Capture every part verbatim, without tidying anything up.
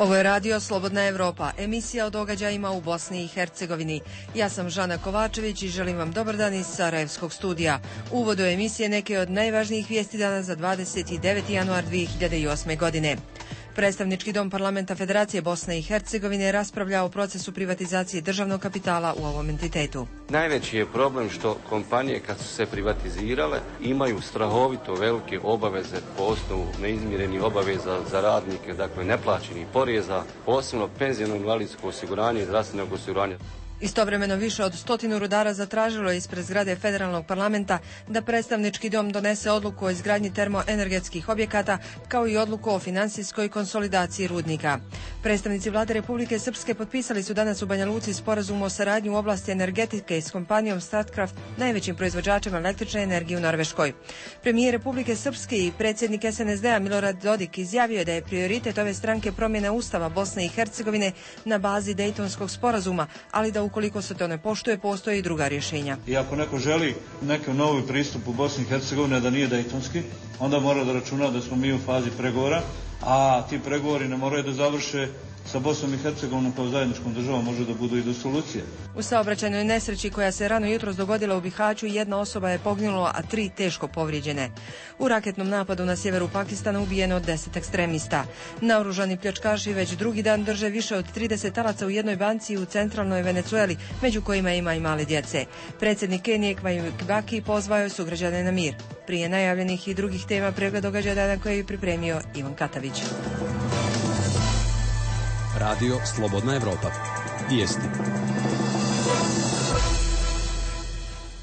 Ovo je radio Slobodna Evropa, emisija o događajima u Bosni i Hercegovini. Ja sam Žana Kovačević i želim vam dobar dan iz Sarajevskog studija. U uvodu emisije neke od najvažnijih vijesti dana za dvadeset deveti januar dvije hiljade osme. godine. Predstavnički dom Parlamenta Federacije Bosne i Hercegovine raspravlja o procesu privatizacije državnog kapitala u ovom entitetu. Najveći je problem što kompanije kad su se privatizirale imaju strahovito velike obaveze po osnovu neizmirenih obaveza za radnike, dakle neplaćenih poreza, posebno penzijsko invalidsko osiguranje i zdravstvenog osiguranja. Istovremeno više od stotinu rudara zatražilo je ispred zgrade Federalnog parlamenta da predstavnički dom donese odluku o izgradnji termoenergetskih objekata kao i odluku o finansijskoj konsolidaciji rudnika. Predstavnici vlade Republike Srpske potpisali su danas u Banja Luci sporazum o saradnji u oblasti energetike s kompanijom Statkraft, najvećim proizvođačem električne energije u Norveškoj. Premijer Republike Srpske i predsjednik S N S D-a Milorad Dodik izjavio je da je prioritet ove stranke promjena Ustava Bosne i Hercegovine na bazi Dejtonskog sporazuma, ali da ukoliko se to ne poštuje, postoje i druga rješenja. I ako neko želi neki novi pristup u Bosni i Hercegovini da nije dejtonski, onda mora da računa da smo mi u fazi pregovora, a ti pregovori ne moraju da završe sa Bosnom i Hercegovinom kao zajedničkom državom, može da budu i do solucije. U saobraćajnoj nesreći koja se rano jutros dogodila u Bihaću, jedna osoba je poginula, a tri teško povrijeđene. U raketnom napadu na sjeveru Pakistana ubijeno deset ekstremista. Naoružani pljačkaši već drugi dan drže više od trideset talaca u jednoj banci u centralnoj Venecueli, među kojima ima i male djece. Predsjednik Kenije Mwai Kibaki pozvao je sugrađane na mir. Prije najavljenih i drugih tema pregled događaja dana koje je pripremio Ivan Katavić. Radio Slobodna Evropa. Vijesti.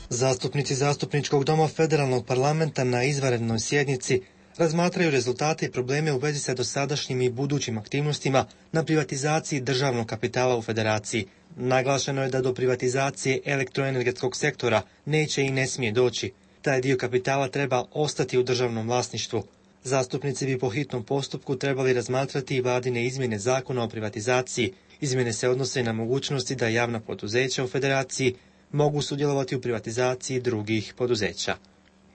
Zastupnici Zastupničkog doma Federalnog parlamenta na izvanrednoj sjednici razmatraju rezultate i probleme u vezi sa dosadašnjim i budućim aktivnostima na privatizaciji državnog kapitala u Federaciji. Naglašeno je da do privatizacije elektroenergetskog sektora neće i ne smije doći. Taj dio kapitala treba ostati u državnom vlasništvu. Zastupnici bi po hitnom postupku trebali razmatrati i vladine izmjene zakona o privatizaciji. Izmjene se odnose na mogućnosti da javna poduzeća u Federaciji mogu sudjelovati u privatizaciji drugih poduzeća.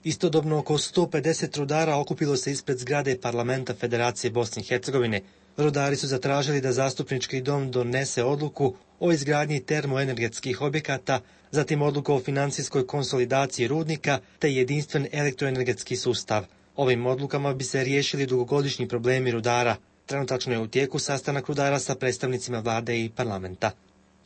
Istodobno oko sto pedeset rudara okupilo se ispred zgrade Parlamenta Federacije Bosne i Hercegovine. Rudari su zatražili da Zastupnički dom donese odluku o izgradnji termoenergetskih objekata, zatim odluku o financijskoj konsolidaciji rudnika te jedinstven elektroenergetski sustav. Ovim odlukama bi se riješili dugogodišnji problemi rudara. Trenutačno je u tijeku sastanak rudara sa predstavnicima vlade i parlamenta.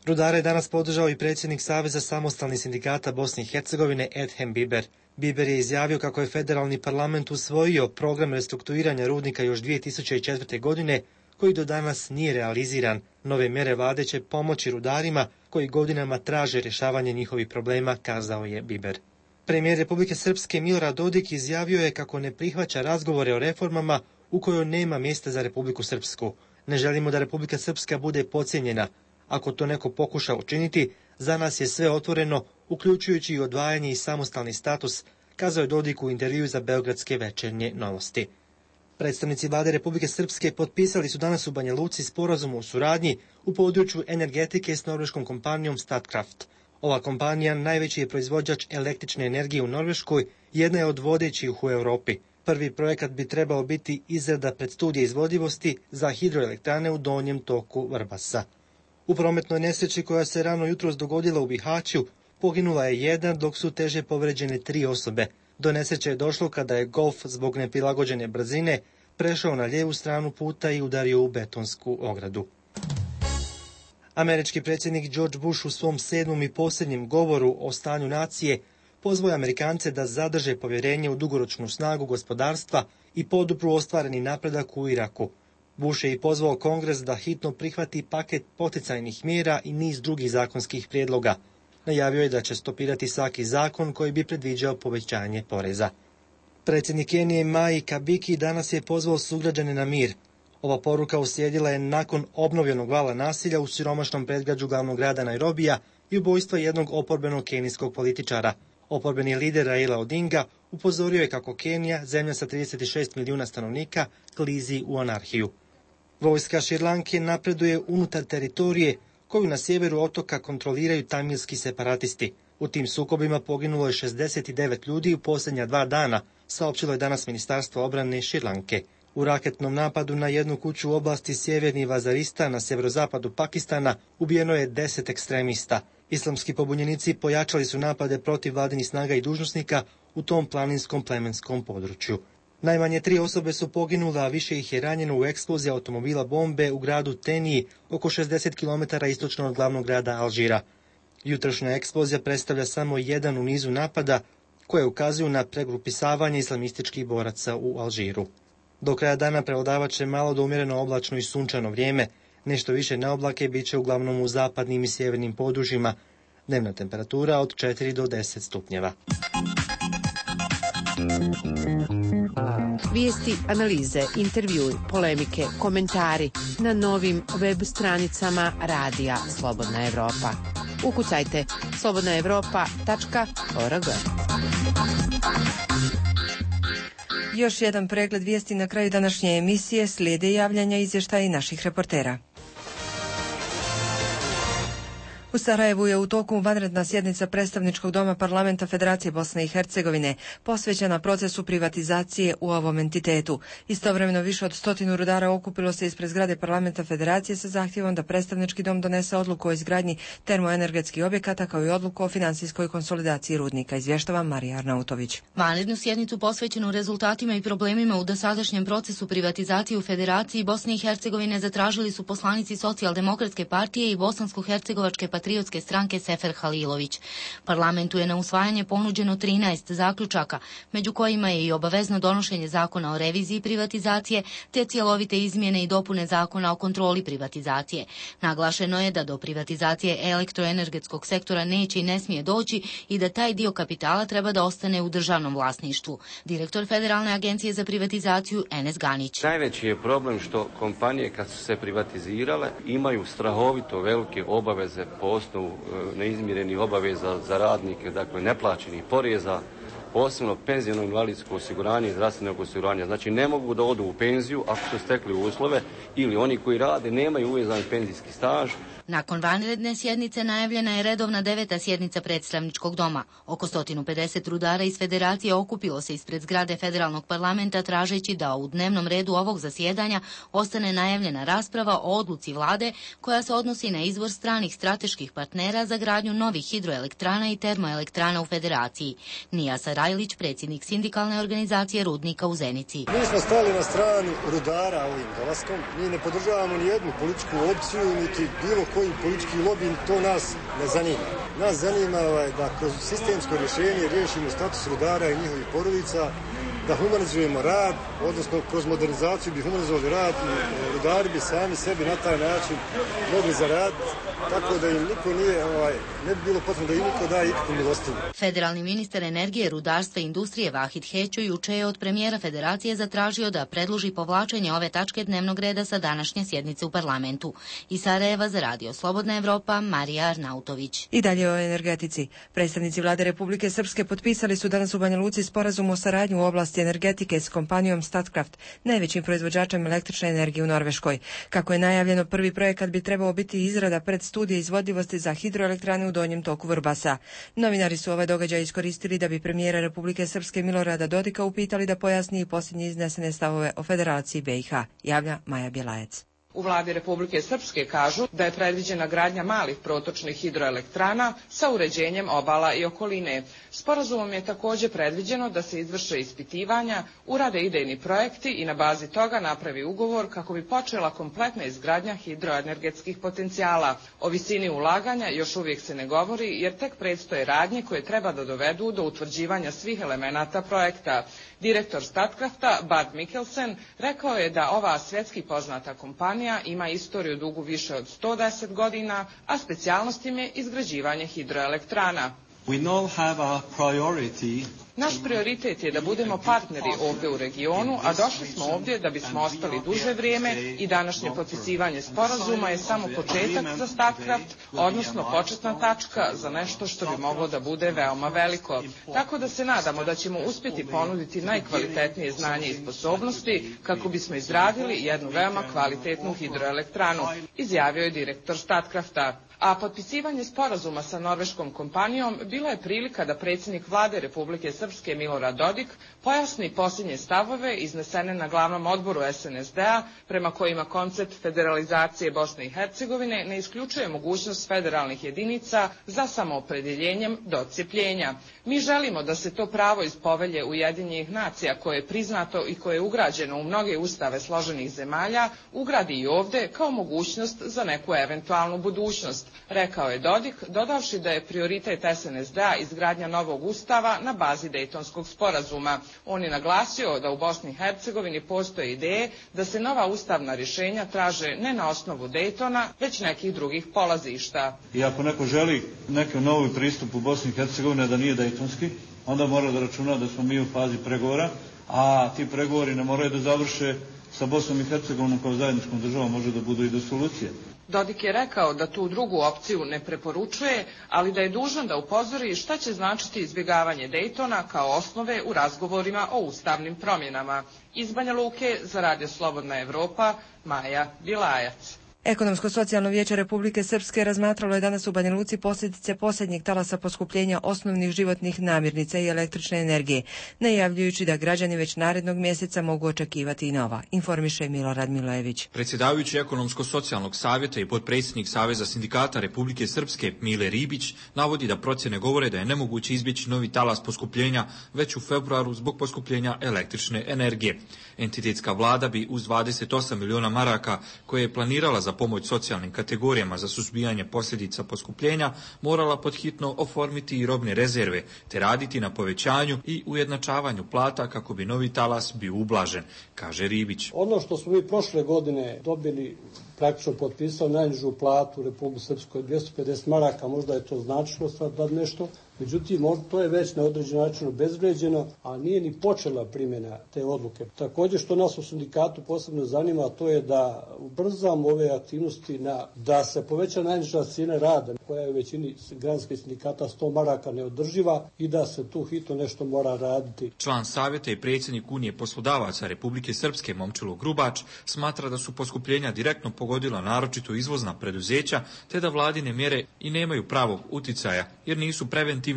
Rudare je danas podržao i predsjednik Saveza samostalnih sindikata Bosne i Hercegovine Edhem Biber. Biber je izjavio kako je federalni parlament usvojio program restrukturiranja rudnika još dvije tisuće četvrte. godine, koji do danas nije realiziran. Nove mjere vlade će pomoći rudarima koji godinama traže rješavanje njihovih problema, kazao je Biber. Premijer Republike Srpske Milorad Dodik izjavio je kako ne prihvaća razgovore o reformama u kojoj nema mjesta za Republiku Srpsku. Ne želimo da Republika Srpska bude podcijenjena. Ako to neko pokuša učiniti, za nas je sve otvoreno, uključujući i odvajanje i samostalni status, kazao je Dodik u intervjuu za Beogradske večernje novosti. Predstavnici vlade Republike Srpske potpisali su danas u Banja Luci sporazum o suradnji u području energetike s norveškom kompanijom Statkraft. Ova kompanija najveći je proizvođač električne energije u Norveškoj, jedna je od vodećih u Europi. Prvi projekat bi trebao biti izrada predstudije izvodivosti za hidroelektrane u donjem toku Vrbasa. U prometnoj nesreći koja se rano jutros dogodila u Bihaću, poginula je jedna, dok su teže povređene tri osobe. Do nesreće je došlo kada je Golf zbog neprilagođene brzine prešao na lijevu stranu puta i udario u betonsku ogradu. Američki predsjednik George Bush u svom sedmom i posljednjem govoru o stanju nacije pozvao Amerikance da zadrže povjerenje u dugoročnu snagu gospodarstva i podupru ostvareni napredak u Iraku. Bush je i pozvao Kongres da hitno prihvati paket poticajnih mjera i niz drugih zakonskih prijedloga. Najavio je da će stopirati svaki zakon koji bi predviđao povećanje poreza. Predsjednik Kenije Mwai Kibaki danas je pozvao sugrađane na mir. Ova poruka uslijedila je nakon obnovljenog vala nasilja u siromašnom predgrađu glavnog grada Nairobija i ubojstva jednog oporbenog kenijskog političara. Oporbeni lider Raila Odinga upozorio je kako Kenija, zemlja sa trideset šest milijuna stanovnika, klizi u anarhiju. Vojska Šrilanke napreduje unutar teritorije koju na sjeveru otoka kontroliraju tamilski separatisti. U tim sukobima poginulo je šezdeset devet ljudi u posljednja dva dana, saopćilo je danas Ministarstvo obrane Šrilanke. U raketnom napadu na jednu kuću u oblasti Sjeverni Vazaristan na sjeverozapadu Pakistana ubijeno je deset ekstremista. Islamski pobunjenici pojačali su napade protiv vladinih snaga i dužnosnika u tom planinskom plemenskom području. Najmanje tri osobe su poginule, a više ih je ranjeno u eksploziji automobila bombe u gradu Teniji, oko šezdeset kilometara istočno od glavnog grada Alžira. Jutrošnja eksplozija predstavlja samo jedan u nizu napada koje ukazuju na pregrupisavanje islamističkih boraca u Alžiru. Do kraja dana prevladavat će malo do umjereno oblačno i sunčano vrijeme. Nešto više na oblake bit će uglavnom u zapadnim i sjevernim područjima. Dnevna temperatura od četiri do deset stupnjeva. Vijesti, analize, intervjui, polemike, komentari na novim web stranicama Radija Slobodna Evropa. Ukucajte slobodna evropa tačka org. Još jedan pregled vijesti na kraju današnje emisije, slijede javljanja izvještaja i naših reportera. U Sarajevu je u toku vanredna sjednica predstavničkog doma Parlamenta Federacije Bosne i Hercegovine posvećena procesu privatizacije u ovom entitetu. Istovremeno više od stotinu rudara okupilo se ispred zgrade Parlamenta Federacije sa zahtjevom da predstavnički dom donese odluku o izgradnji termoenergetskih objekata kao i odluku o finansijskoj konsolidaciji rudnika, izvještava Marija Arnautović. Vanrednu sjednicu posvećenu rezultatima i problemima u dosadašnjem procesu privatizacije u Federaciji Bosne i Hercegovine zatražili su poslanici Socijaldemokratske partije i Bosansko-hercegovačke patriotske stranke Sefer Halilović. Parlamentu je na usvajanje ponuđeno trinaest zaključaka, među kojima je i obavezno donošenje zakona o reviziji privatizacije, te cjelovite izmjene i dopune zakona o kontroli privatizacije. Naglašeno je da do privatizacije elektroenergetskog sektora neće i ne smije doći i da taj dio kapitala treba da ostane u državnom vlasništvu. Direktor Federalne agencije za privatizaciju Enes Ganić. Najveći je problem što kompanije kad su se privatizirale imaju strahovito velike obaveze po osnovu neizmirenih obaveza za radnike, dakle neplaćenih poreza, posebno penzijno invalidsko osiguranje i zdravstvenog osiguranja. Znači ne mogu da odu u penziju ako su stekli uslove ili oni koji rade nemaju uvezani penzijski staž. Nakon vanredne sjednice najavljena je redovna deveta sjednica predstavničkog doma. Oko sto pedeset rudara iz Federacije okupilo se ispred zgrade Federalnog parlamenta tražeći da u dnevnom redu ovog zasjedanja ostane najavljena rasprava o odluci vlade koja se odnosi na izbor stranih strateških partnera za gradnju novih hidroelektrana i termoelektrana u Federaciji. Nija Sarajlić, predsjednik sindikalne organizacije rudnika u Zenici. Mi smo stali na stranu rudara ovim dolaskom. Mi ne podržavamo ni jednu političku opciju, niti bilo koji politički lobby, to nas ne zanima. Nas zanima ovaj, da kroz sistemsko rješenje riješimo status rudara i njihovih porodica, da humanizujemo rad, odnosno kroz modernizaciju bi humanizovali rad i rudari bi sami sebi na taj način mogli zaraditi, tako da im niko nije, ovaj, ne bi bilo potrebno da im niko daje ikakvu milostinju. Federalni ministar energije, rudarstva i industrije Vahid Hećo juče je od premijera Federacije zatražio da predloži povlačenje ove tačke dnevnog reda sa današnje sjednice u parlamentu. Iz Sarajeva za Radio Slobodna Evropa, Marija Arnautović. I dalje o energetici. Predstavnici vlade Republike Srpske potpisali su danas u Banja Luci sporazum o saradnji u oblasti energetike s kompanijom Statkraft, najvećim proizvođačem električne energije u Norveškoj. Kako je najavljeno, prvi projekat bi trebao biti izrada predstudije izvodljivosti za hidroelektrane u donjem toku Vrbasa. Novinari su ovaj događaj iskoristili da bi premijera Republike Srpske Milorada Dodika upitali da pojasni i posljednje iznesene stavove o Federaciji B i H, javlja Maja Bjelajec. U vladi Republike Srpske kažu da je predviđena gradnja malih protočnih hidroelektrana sa uređenjem obala i okoline. Sporazumom je također predviđeno da se izvrše ispitivanja, urade idejni projekti i na bazi toga napravi ugovor kako bi počela kompletna izgradnja hidroenergetskih potencijala. O visini ulaganja još uvijek se ne govori jer tek predstoje radnje koje treba da dovedu do utvrđivanja svih elemenata projekta. Direktor Statkrafta, Bart Mikkelsen, rekao je da ova svjetski poznata kompanija ima istoriju dugu više od sto deset godina, a specijalnost im je izgrađivanje hidroelektrana. Naš prioritet je da budemo partneri ovdje u regionu, a došli smo ovdje da bismo ostali duže vrijeme i današnje potpisivanje sporazuma je samo početak za Statkraft, odnosno početna tačka za nešto što bi moglo da bude veoma veliko. Tako da se nadamo da ćemo uspjeti ponuditi najkvalitetnije znanje i sposobnosti kako bismo izradili jednu veoma kvalitetnu hidroelektranu, izjavio je direktor Statkrafta. A potpisivanje sporazuma sa norveškom kompanijom bila je prilika da predsjednik vlade Republike Srpske Milorad Dodik pojasni posljednje stavove iznesene na glavnom odboru S N S D-a prema kojima koncept federalizacije Bosne i Hercegovine ne isključuje mogućnost federalnih jedinica za samoopredjeljenjem do odcjepljenja. Mi želimo da se to pravo iz povelje Ujedinjenih nacija koje je priznato i koje je ugrađeno u mnoge ustave složenih zemalja ugradi i ovdje kao mogućnost za neku eventualnu budućnost, rekao je Dodik, dodavši da je prioritet S N S D-a izgradnja novog ustava na bazi Dejtonskog sporazuma. On je naglasio da u Bosni i Hercegovini postoje ideje da se nova ustavna rješenja traže ne na osnovu Dejtona, već nekih drugih polazišta. I ako neko želi neki novi pristup u Bosni i Hercegovini da nije dejtonski, onda mora da računa da smo mi u fazi pregovora, a ti pregovori ne moraju da završe sa Bosnom i Hercegovinom kao zajedničkom državom, može da budu i do solucije. Dodik je rekao da tu drugu opciju ne preporučuje, ali da je dužan da upozori šta će značiti izbjegavanje Dejtona kao osnove u razgovorima o ustavnim promjenama. Iz Banja Luke za Radio Slobodna Evropa, Maja Bilajac. Ekonomsko-socijalno vijeće Republike Srpske razmatralo je danas u Banja Luci posljedice posljednjeg talasa poskupljenja osnovnih životnih namirnica i električne energije, najavljujući da građani već narednog mjeseca mogu očekivati i nova, informiše Milorad Milojević. Predsjedavajući Ekonomsko-socijalnog savjeta i potpredsjednik Saveza sindikata Republike Srpske Mile Ribić navodi da procjene govore da je nemoguće izbjeći novi talas poskupljenja već u februaru zbog poskupljenja električne energije. Entitetska vlada bi uz dvadeset osam miliona maraka koje je planirala za pomoć socijalnim kategorijama za suzbijanje posljedica poskupljenja morala podhitno oformiti i robne rezerve te raditi na povećanju i ujednačavanju plata kako bi novi talas bio ublažen, kaže Ribić. Ono što smo mi prošle godine dobili, praktično potpisao najnižu platu u Republike Srpskoj dvjesto pedeset maraka, možda je to značilo sad nešto. Međutim, to je već na određen način obezvrijeđeno, a nije ni počela primjena te odluke. Također što nas u sindikatu posebno zanima, to je da ubrzamo ove aktivnosti na, da se poveća najniža cijena rada, koja je u većini granskih sindikata sto maraka neodrživa i da se tu hitno nešto mora raditi. Član savjeta i predsjednik Unije poslodavaca Republike Srpske Momčilo Grubač smatra da su poskupljenja direktno pogodila naročito izvozna preduzeća, te da vladine mjere i nemaju pravog uticaja jer nisu preventivne,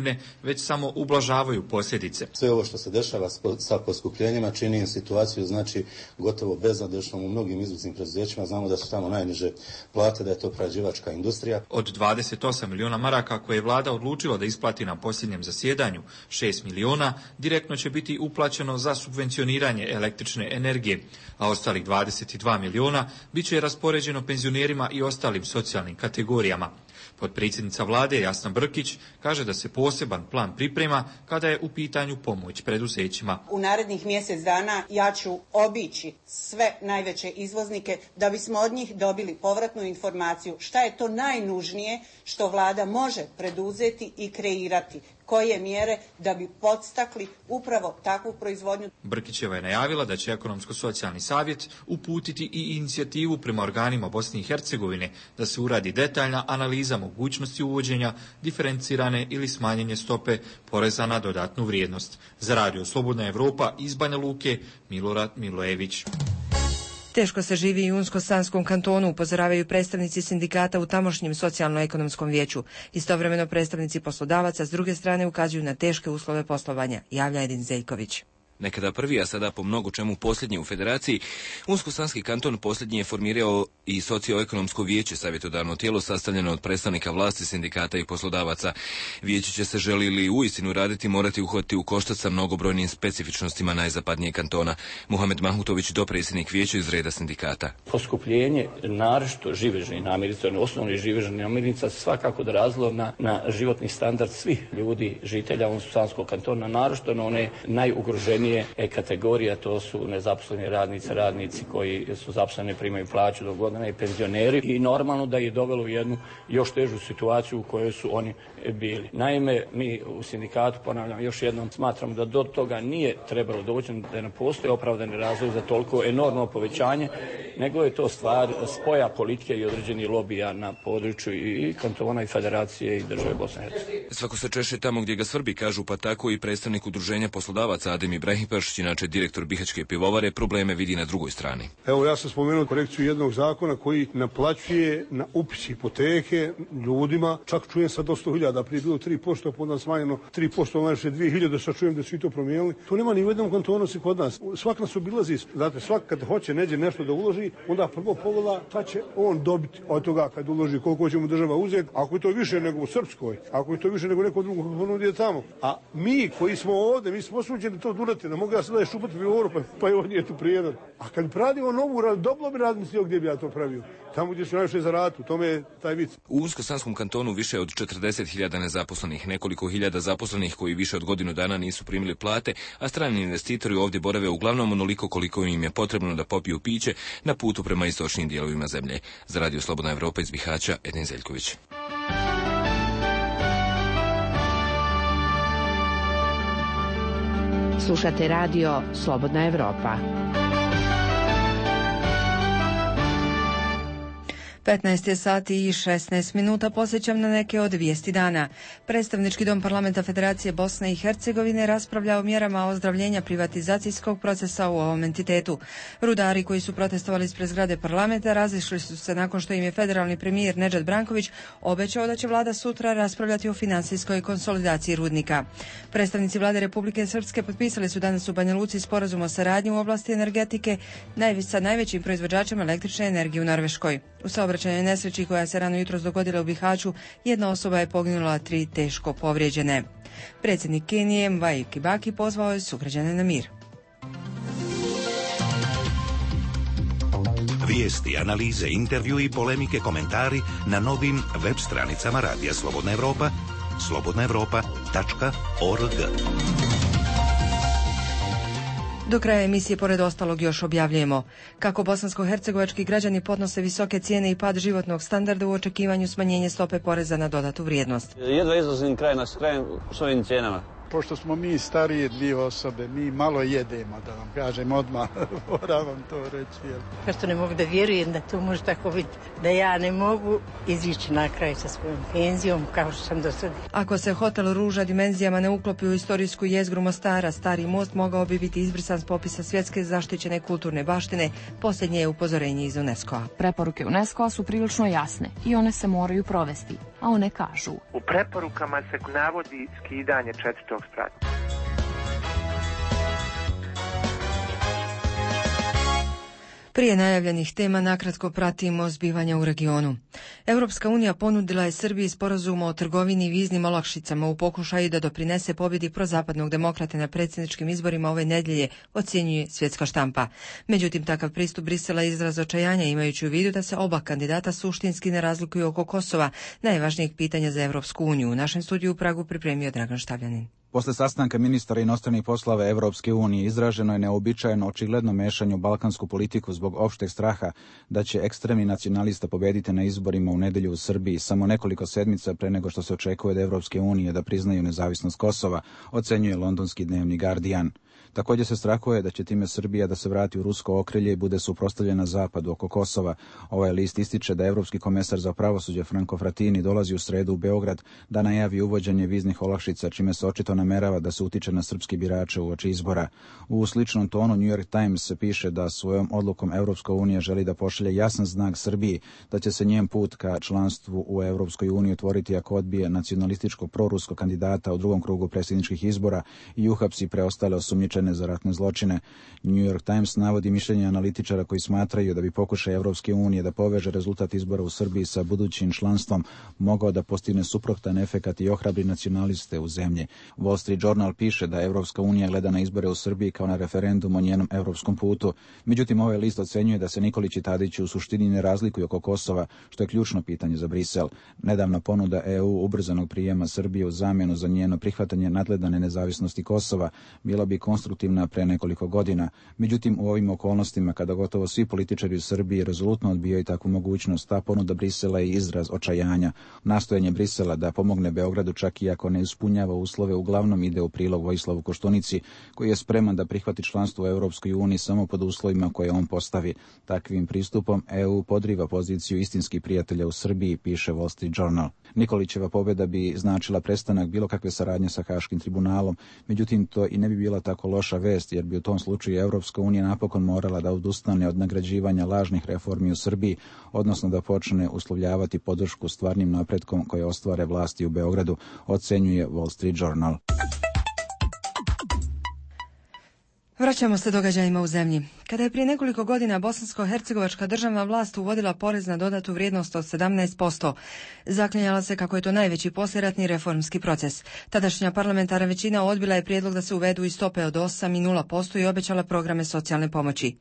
već samo ublažavaju posljedice. Sve ovo što se dešava sa poskupljenjima čini situaciju znači gotovo beznadežnom u mnogim izvoznim preduzećima. Znamo da su tamo najniže plate, da je to prerađivačka industrija. Od dvadeset osam miliona maraka koje je vlada odlučila da isplati na posljednjem zasjedanju, šest miliona direktno će biti uplaćeno za subvencioniranje električne energije, a ostalih dvadeset dva miliona bit će raspoređeno penzionerima i ostalim socijalnim kategorijama. Potpredsjednica vlade Jasna Brkić kaže da se poseban plan priprema kada je u pitanju pomoć preduzećima. U narednih mjesec dana ja ću obići sve najveće izvoznike da bismo od njih dobili povratnu informaciju šta je to najnužnije što vlada može preduzeti i kreirati. Koje mjere da bi podstakli upravo takvu proizvodnju. Brkićeva je najavila da će Ekonomsko-socijalni savjet uputiti i inicijativu prema organima Bosne i Hercegovine da se uradi detaljna analiza mogućnosti uvođenja diferencirane ili smanjenje stope poreza na dodatnu vrijednost. Za Radio Slobodna Evropa iz Banja Luke, Milorad Milojević. Teško se živi i u Unsko-Sanskom kantonu, upozoravaju predstavnici sindikata u tamošnjem socijalno-ekonomskom vijeću. Istovremeno predstavnici poslodavaca s druge strane ukazuju na teške uslove poslovanja, javlja Edin Zeljković. Nekada prvi, a sada po mnogo čemu posljednji u federaciji, Unsko-Sanski kanton posljednji je formirao i socioekonomsko vijeće, savjetodavno tijelo sastavljeno od predstavnika vlasti, sindikata i poslodavaca. Vijeće će se, želi li uistinu raditi, morati uhvatiti u koštac sa mnogobrojnim specifičnostima najzapadnijeg kantona. Muhamed Mahmutović, dopredsjednik vijeća iz reda sindikata. Poskupljenje naročito živežnih namirnica, osnovnih živežnih namirnica, svakako odrazilo na, na životni standard svih ljudi, žitelja Unsko-Sanskog kantona, naročito na one najugroženije kategorija, to su nezaposleni radnici, radnici koji su zaposleni, primaju plaću do godine i penzioneri, i normalno da je dovelo u jednu još težu situaciju u kojoj su oni bili. Naime, mi u sindikatu, ponavljam još jednom, smatramo da do toga nije trebalo doći, da ne postoji opravdani razlog za toliko enormno povećanje, nego je to stvar spoja politike i određenih lobija na području i kantona i federacije i države Bosne i Hercegovine. Svako se češe tamo gdje ga svrbi, kažu, pa tako i predstavnik udruženja poslodavaca Adem Ibrahimović Ibrahim Pršić, inače direktor Bihaćke pivovare, probleme vidi na drugoj strani. Evo, ja sam spomenuo korekciju jednog zakona koji naplaćuje na upis hipoteke ljudima, čak čujem sad do sto hiljada, prije bilo tri posto, pa onda smanjeno tri posto, najviše dvije hiljade, sad čujem da su i to promijenili. To nema ni u jednom kantonu se kod nas. Svak nas obilazi, znate, svak kad hoće neđe nešto da uloži, onda prvo pogleda šta će on dobiti od toga kad uloži, koliko će mu država uzeti. Ako je to više nego u Srpskoj, ako je to više nego neko drugo ponudi tamo. A mi koji smo ovdje, mi smo osuđeni to durati, ne mogu ja sada šupati pivovaru, pa, pa je ovdje tu prijedan. A kad pravimo novu, dobro bi razmislio gdje bi ja to pravio. Tamo gdje su najviše zaraditi, u tome je taj vic. U Unsko-Sanskom kantonu više od četrdeset hiljada nezaposlenih, nekoliko hiljada zaposlenih koji više od godinu dana nisu primili plate, a strani investitori ovdje borave uglavnom onoliko koliko im je potrebno da popiju piće na putu prema istočnim dijelovima zemlje. Za Radio Slobodna Evropa iz Bihaća, Edin Zeljković. Slušate radio Slobodna Evropa. petnaest je sati i šesnaest minuta, posjećam na neke od vijesti dana. Predstavnički dom Parlamenta Federacije Bosne i Hercegovine raspravlja o mjerama ozdravljenja privatizacijskog procesa u ovom entitetu. Rudari koji su protestovali ispred zgrade parlamenta razišli su se nakon što im je federalni premijer Nedžad Branković obećao da će vlada sutra raspravljati o financijskoj konsolidaciji rudnika. Predstavnici vlade Republike Srpske potpisali su danas u Banja Luci sporazum o saradnji u oblasti energetike sa najvećim proizvođačem električne energije u Norveškoj. U saobraćajnoj nesreći koja se rano jutros dogodila u Bihaću, jedna osoba je poginula, tri teško povrijeđene. Predsjednik Kenije Mwai Kibaki pozvao je sugrađane na mir. Vijesti, analize, intervju i polemike, komentari na novim web stranicama Radija Slobodna Evropa, slobodna evropa tačka org. Do kraja emisije, pored ostalog, još objavljujemo kako bosansko-hercegovački građani podnose visoke cijene i pad životnog standarda u očekivanju smanjenja stope poreza na dodatu vrijednost. Jedva izlazim kraj na kraj s ovim cijenama. Pošto smo mi starije dvije osobe, mi malo jedemo, da vam kažem odmah, moram vam to reći. Prosto ne mogu da vjerujem da to može tako biti, da ja ne mogu izići na kraj sa svojom penzijom kao što sam do sada. Ako se hotel Ruža dimenzijama ne uklopi u istorijsku jezgru Mostara, Stari most mogao bi biti izbrisan s popisa svjetske zaštićene kulturne baštine, posljednje je upozorenje iz UNESCO-a. Preporuke UNESCO-a su prilično jasne i one se moraju provesti, a one kažu: u preporukama se navodi skidanje četvrtog sprata. Prije najavljenih tema nakratko pratimo zbivanja u regionu. Europska unija ponudila je Srbiji sporazum o trgovini i viznim olakšicama u pokušaju da doprinese pobjedi prozapadnog demokrate na predsjedničkim izborima ove nedjelje, ocjenjuje svjetska štampa. Međutim, takav pristup Brisela je izraz očajanja, imajući u vidu da se oba kandidata suštinski ne razlikuju oko Kosova, najvažnijeg pitanja za Europsku uniju. U našem studiju u Pragu pripremio Dragan Štavljanin. Posle sastanka ministara inostranih poslova Evropske unije izraženo je neobičajeno očigledno mešanje u balkansku politiku zbog opšteg straha da će ekstremni nacionalista pobediti na izborima u nedelju u Srbiji samo nekoliko sedmica pre nego što se očekuje od Evropske unije da priznaju nezavisnost Kosova, ocenjuje londonski dnevnik Guardian. Također se strahuje da će time Srbija da se vrati u rusko okrilje i bude suprotstavljena zapadu oko Kosova. Ovaj list ističe da Evropski komesar za pravosuđe Franco Frattini dolazi u sredu u Beograd da najavi uvođenje viznih olakšica, čime se očito namerava da se utiče na srpski birače uoči izbora. U sličnom tonu New York Times piše da svojom odlukom Evropska unija želi da pošalje jasan znak Srbiji da će se njen put ka članstvu u Evropskoj uniji otvoriti ako odbije nacionalističkog proruskog kandidata u drugom krugu predsjedničkih izbora i uhapsi preostale osumnjičene za ratne zločine. New York Times navodi mišljenje analitičara koji smatraju da bi pokušaj Evropske unije da poveže rezultat izbora u Srbiji sa budućim članstvom mogao da postigne suprotan efekat i ohrabri nacionaliste u zemlji. Wall Street Journal piše da Evropska unija gleda na izbore u Srbiji kao na referendum o njenom evropskom putu. Međutim, ovaj list ocenjuje da se Nikolić i Tadić u suštini ne razlikuju oko Kosova, što je ključno pitanje za Brisel. Nedavna ponuda E U ubrzanog prijema Srbije u zamjenu za njeno prihvatanje nadgledane nezavisnosti Kosova bila bi konstruktivna pre nekoliko godina. Međutim, u ovim okolnostima, kada gotovo svi političari u Srbiji rezolutno odbijaju takvu mogućnost, ta ponuda Brisela je izraz očajanja. Nastojanje Brisela da pomogne Beogradu, čak i ako ne ispunjava uslove, uglavnom ide u prilog Vojislavu Koštunici, koji je spreman da prihvati članstvo u Europskoj uniji samo pod uslovima koje on postavi. Takvim pristupom E U podriva poziciju istinskih prijatelja u Srbiji, piše Wall Street Journal. Nikolićeva pobjeda bi značila prestanak bilo kakve saradnje sa Haškim tribunalom, međutim to i ne bi bila tako loša loša vest, jer bi u tom slučaju Evropska unija napokon morala da odustane od nagrađivanja lažnih reformi u Srbiji, odnosno da počne uslovljavati podršku stvarnim napretkom koje ostvare vlasti u Beogradu, ocenjuje Wall Street Journal. Vraćamo se događajima u zemlji. Kada je prije nekoliko godina bosansko-hercegovačka državna vlast uvodila porez na dodatu vrijednost od sedamnaest posto, zaklinjala se kako je to najveći poslijeratni reformski proces. Tadašnja parlamentarna većina odbila je prijedlog da se uvedu i stope od osam i nula posto i obećala programe socijalne pomoći.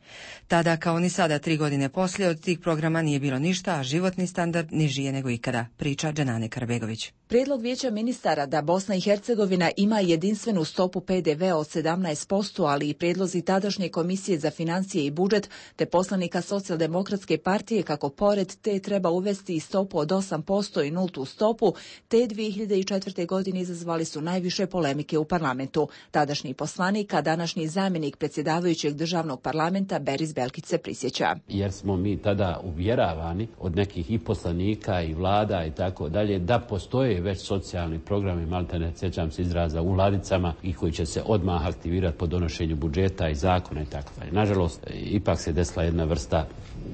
Tada, kao ni sada, tri godine poslije, od tih programa nije bilo ništa, a životni standard niži je nego ikada, priča Dženane Karabegović. Prijedlog vijeća ministara da Bosna i Hercegovina ima jedinstvenu stopu P D V od sedamnaest posto, ali i prijedlozi tadašnje komisije za financije i budžet te poslanika Socijaldemokratske partije kako pored te treba uvesti i stopu od osam posto i nultu stopu, te dvije hiljade četvrte. godine izazvali su najviše polemike u parlamentu. Tadašnji poslanik, a današnji zamjenik predsjedavajućeg državnog parlamenta Beris Belkić se prisjeća. Jer smo mi tada uvjeravani od nekih i poslanika i vlada i tako dalje da postoje već socijalni programi, maltene, sjećam se izraza, u ladicama i koji će se odmah aktivirati po donošenju budžeta i zakona i tako dalje. Nažalost, ipak se desila jedna vrsta,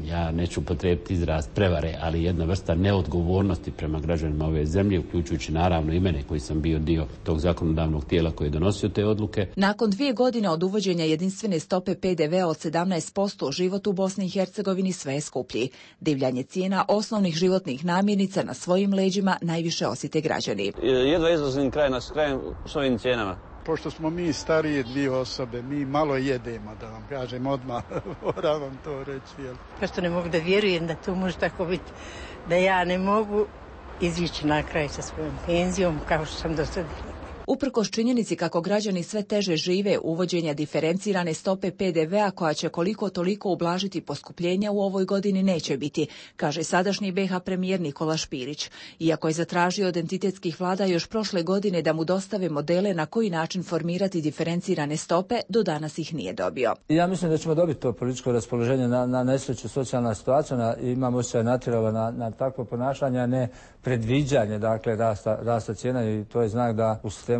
ja neću potrebiti izraz prevare, ali jedna vrsta neodgovornosti prema građanima ove zemlje, uključujući naravno i mene koji sam bio dio tog zakonodavnog tijela koji je donosio te odluke. Nakon dvije godine od uvođenja jedinstvene stope P D V od sedamnaest posto, život u Bosni i Hercegovini sve je skuplji. Divljanje cijena osnovnih životnih namirnica na svojim leđima najviše osjete građani. Jedva izlazim kraj na krajem s ovim cijenama. Pošto smo mi starije dvije osobe, mi malo jedemo, da vam kažem odmah, moram vam to reći. Jel? Prosto ne mogu da vjerujem da to može tako biti, da ja ne mogu izići na kraj sa svojom penzijom kao što sam do sada. Uprkos činjenici kako građani sve teže žive, uvođenja diferencirane stope P D V-a koja će koliko toliko ublažiti poskupljenja u ovoj godini neće biti, kaže sadašnji B iH premijer Nikola Špirić. Iako je zatražio od entitetskih vlada još prošle godine da mu dostave modele na koji način formirati diferencirane stope, do danas ih nije dobio. Ja mislim da ćemo dobiti to političko raspoloženje na, na nesreću socijalna situacija, na, imamo se natjerala na, na takvo ponašanje, a ne predviđanje, dakle, rasta, rasta cijena, i to je znak da u sistemu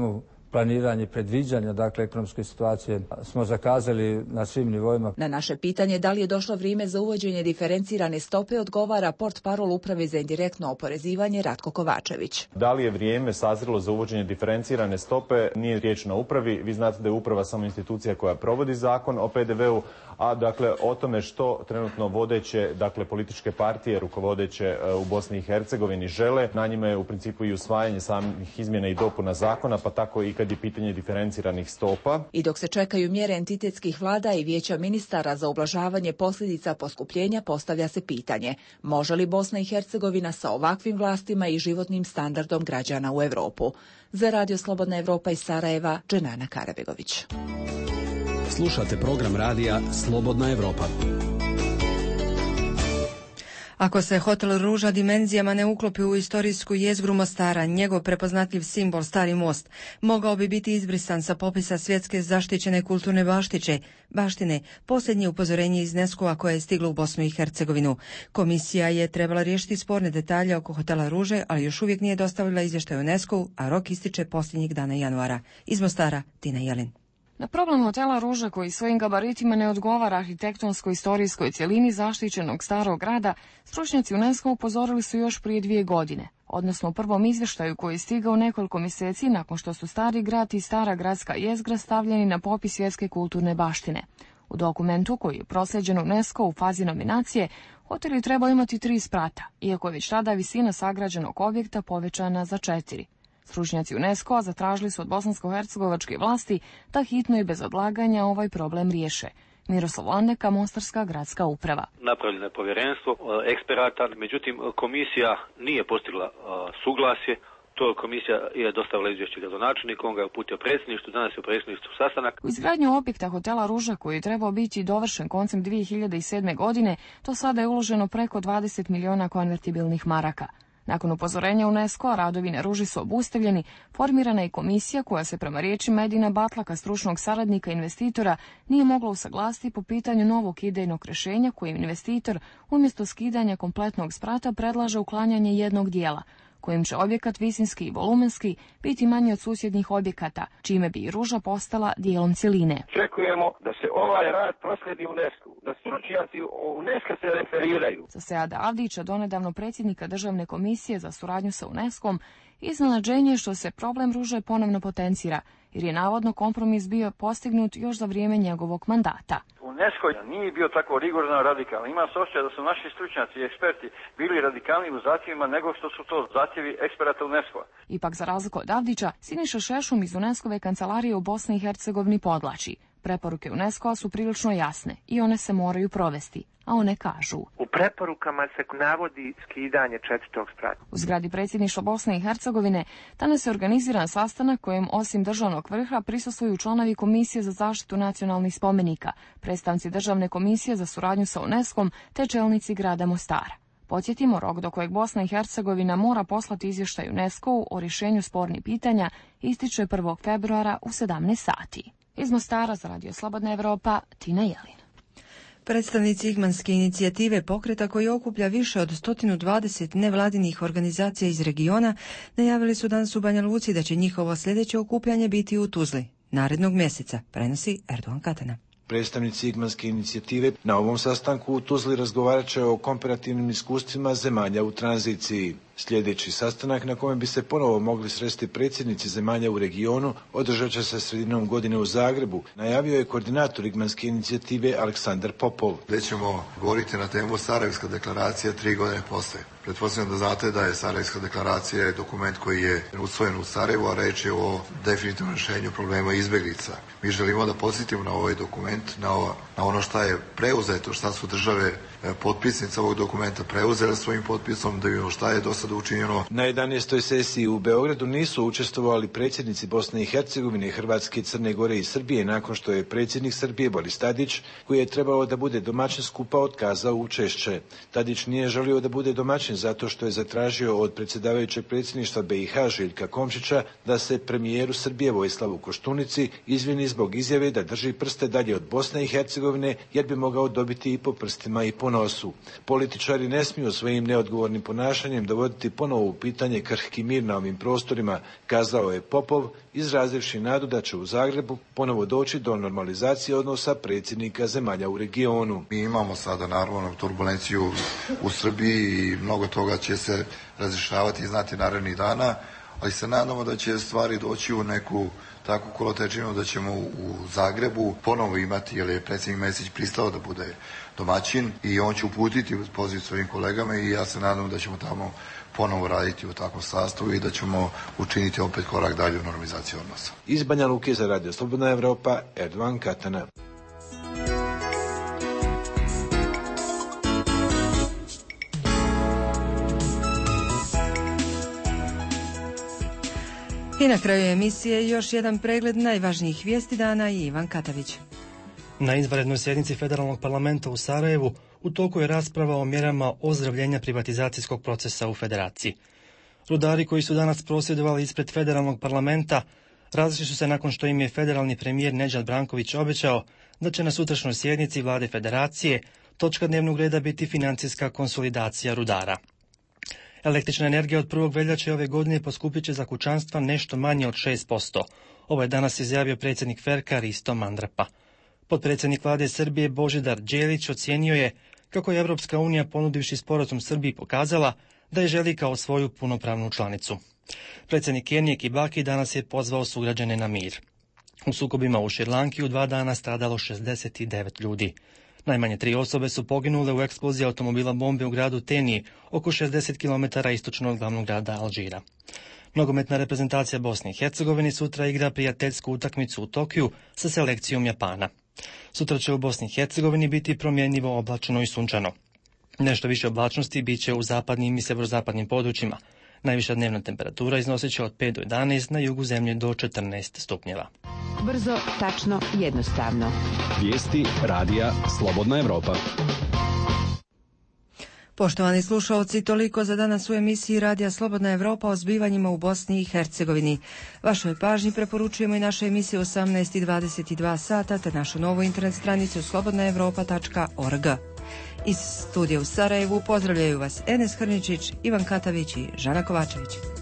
planiranje, predviđanja, dakle, ekonomske situacije smo zakazali na svim nivoima. Na naše pitanje da li je došlo vrijeme za uvođenje diferencirane stope odgovara portparol Uprave za indirektno oporezivanje Ratko Kovačević. Da li je vrijeme sazrelo za uvođenje diferencirane stope, nije riječ na upravi. Vi znate da je uprava samo institucija koja provodi zakon o P D V-u, a dakle o tome što trenutno vodeće, dakle političke partije rukovodeće u Bosni i Hercegovini žele, na njima je u principu i usvajanje samih izmjena i dopuna zakona, pa tako i kad je pitanje diferenciranih stopa. I dok se čekaju mjere entitetskih vlada i vijeća ministara za ublažavanje posljedica poskupljenja, postavlja se pitanje: može li Bosna i Hercegovina sa ovakvim vlastima i životnim standardom građana u Europu? Za Radio Slobodna Evropa iz Sarajeva, Dženana Karabegović. Slušate program radija Slobodna Evropa. Ako se hotel Ruža dimenzijama ne uklopi u istorijsku jezgru Mostara, njegov prepoznatljiv simbol Stari most mogao bi biti izbrisan sa popisa svjetske zaštićene kulturne baštiće, baštine, posljednje upozorenje iz UNESCO-a koje je stiglo u Bosnu i Hercegovinu. Komisija je trebala riješiti sporne detalje oko hotela Ruže, ali još uvijek nije dostavila izvještaj UNESCO-u, a rok ističe posljednjih dana januara. Iz Mostara, Tina Jelin. Na problem hotela Ruža, koji svojim gabaritima ne odgovara arhitektonsko-istorijskoj cjelini zaštićenog starog grada, stručnjaci UNESCO upozorili su još prije dvije godine, odnosno u prvom izvještaju koji je stigao nekoliko mjeseci nakon što su stari grad i stara gradska jezgra stavljeni na popis svjetske kulturne baštine. U dokumentu koji je proslijeđen UNESCO u fazi nominacije, hotel je trebao imati tri sprata, iako je već tada visina sagrađenog objekta povećana za četiri. Stručnjaci UNESCO-a zatražili su od bosansko-hercegovačke vlasti da hitno i bez odlaganja ovaj problem riješe. Miroslav Landeka, Mostarska gradska uprava. Napravljeno je povjerenstvo eksperata, međutim komisija nije postigla suglasje. To komisija je dostavila izvješće gradonačelniku, on ga je uputio predsjedništvu, danas je u predsjedništvu sastanak. U izgradnju objekta hotela Ruža, koji je trebao biti dovršen koncem dvije hiljade sedme. godine, to sada je uloženo preko dvadeset milijuna konvertibilnih maraka. Nakon upozorenja UNESCO-a radovi na Ruži su obustavljeni, formirana je komisija koja se prema riječima Edina Batlaka, stručnog saradnika investitora, nije mogla usaglasiti po pitanju novog idejnog rješenja kojim investitor umjesto skidanja kompletnog sprata predlaže uklanjanje jednog dijela. kojim će objekat visinski i volumenski biti manji od susjednih objekata, čime bi i Ruža postala dijelom cjeline. Očekujemo da se ovaj rad prosledi UNESCO, da stručnjaci UNESCO se referiraju. Za Seada Avdića, donedavno predsjednika Državne komisije za suradnju sa UNESCO-om, iznenađenje što se problem Ruže ponovno potencira, jer je navodno kompromis bio postignut još za vrijeme njegovog mandata. UNESCO nije bio tako rigorozno radikalan. Ima se osjećaj da su naši stručnjaci i eksperti bili radikalni u zahtjevima nego što su to zahtjevi eksperata UNESCO-a. Ipak, za razliku od Avdića, Siniša Šešum iz UNESCO-ve kancelarije u Bosni i Hercegovini podvlači. Preporuke UNESCO-a su prilično jasne i one se moraju provesti, a one kažu: u preporukama se navodi skidanje četvrtog sprata. U zgradi predsjedništva Bosne i Hercegovine danas je organiziran sastanak kojem osim državnog vrha prisustvuju članovi Komisije za zaštitu nacionalnih spomenika, predstavnici Državne komisije za suradnju sa UNESCO-om te čelnici grada Mostara. Podsjetimo, rok do kojeg Bosna i Hercegovina mora poslati izvještaj UNESCO-u o rješenju spornih pitanja ističe prvog februara u sedamnaest sati. Iz Mostara za Radio Slobodna Evropa, Tina Jelin. Predstavnici Igmanske inicijative, pokreta koji okuplja više od sto dvadeset nevladinih organizacija iz regiona, najavili su danas u Banja Luci da će njihovo sljedeće okupljanje biti u Tuzli narednog mjeseca, prenosi Erdogan Katana. Predstavnici Igmanske inicijative na ovom sastanku u Tuzli razgovarat će o komparativnim iskustvima zemalja u tranziciji. Sljedeći sastanak na kojem bi se ponovo mogli sresti predsjednici zemalja u regionu održat će se sredinom godine u Zagrebu, najavio je koordinator Igmanske inicijative Aleksandar Popov. Gdje ćemo govoriti na temu Sarajevska deklaracija tri godine poslije. Pretpostavljam da znate da je Sarajevska deklaracija dokument koji je usvojen u Sarajevu, a reč je o definitivnom rješenju problema izbjeglica. Mi želimo da podsjetimo na ovaj dokument, na, ovo, na ono što je preuzeto, šta su države potpisnice ovog dokumenta preuzele svojim potpisom, da vidimo šta je do sada učinjeno. Na jedanaestoj sesiji u Beogradu nisu učestvovali predsjednici Bosne i Hercegovine, Hrvatske, Crne Gore i Srbije nakon što je predsjednik Srbije Boris Tadić, koji je trebao da bude domaćin skupa, otkazao učešće. Tadić nije želio da bude domaćin zato što je zatražio od predsjedavajućeg predsjedništva B i H Željka Komšića da se premijeru Srbije Vojislavu Koštunici izvini zbog izjave da drži prste dalje od Bosne i Hercegovine jer bi mogao dobiti i po prstima i po nosu. Političari ne smiju svojim neodgovornim ponašanjem dovoditi ponovo u pitanje krhki mir na ovim prostorima, kazao je Popov, izrazivši nadu da će u Zagrebu ponovo doći do normalizacije odnosa predsjednika zemalja u regionu. Mi imamo sada naravno turbulenciju u Srbiji i mnogo toga će se razrješavati i znati narednih dana, ali se nadamo da će stvari doći u neku takvu kolotečinu da ćemo u Zagrebu ponovo imati, jer je predsjednik Mesić pristao da bude domaćin i on će uputiti poziv svojim kolegama i ja se nadam da ćemo tamo ponovo raditi u takvom sastavu i da ćemo učiniti opet korak dalje u normalizaciji odnosa. Iz Banja Luke za Radio Slobodna Evropa, Erdogan Katana. I na kraju emisije još jedan pregled najvažnijih vijesti dana i Ivan Katavić. Na izvanrednoj sjednici Federalnog parlamenta u Sarajevu u toku je rasprava o mjerama ozdravljenja privatizacijskog procesa u Federaciji. Rudari koji su danas prosvjedovali ispred Federalnog parlamenta razišli su se nakon što im je federalni premijer Nedžad Branković obećao da će na sutrašnjoj sjednici vlade Federacije točka dnevnog reda biti financijska konsolidacija rudara. Električna energija od prvog veljače ove godine poskupit će za kućanstva nešto manje od šest posto. Ovo je danas izjavio predsjednik Ferka Risto Mandrapa. Potpredsjednik vlade Srbije Božidar Đelić ocijenio je kako je Evropska unija ponudivši sporazum Srbiji pokazala da je želi kao svoju punopravnu članicu. Predsjednik Kenije Kibaki danas je pozvao sugrađane na mir. U sukobima u Šrilanki u dva dana stradalo šezdeset devet ljudi. Najmanje tri osobe su poginule u eksploziji automobila bombe u gradu Teniji, oko šezdeset kilometara istočno od glavnog grada Alžira. Nogometna reprezentacija Bosne i Hercegovine sutra igra prijateljsku utakmicu u Tokiju sa selekcijom Japana. Sutra će u Bosni i Hercegovini biti promjenjivo oblačno i sunčano. Nešto više oblačnosti bit će u zapadnim i severozapadnim područjima. Najviša dnevna temperatura iznosit će od pet do jedanaest, na jugu zemlje do četrnaest stupnjeva. Brzo, tačno, jednostavno. Vijesti radija Slobodna Evropa. Poštovani slušalci, toliko za danas u emisiji Radija Slobodna Evropa o zbivanjima u Bosni i Hercegovini. Vašoj pažnji preporučujemo i naše emisije osamnaest i dvadeset dva sata te našu novu internet stranicu slobodna evropa tačka org. Iz studija u Sarajevu pozdravljaju vas Enes Hrničić, Ivan Katavić i Žana Kovačević.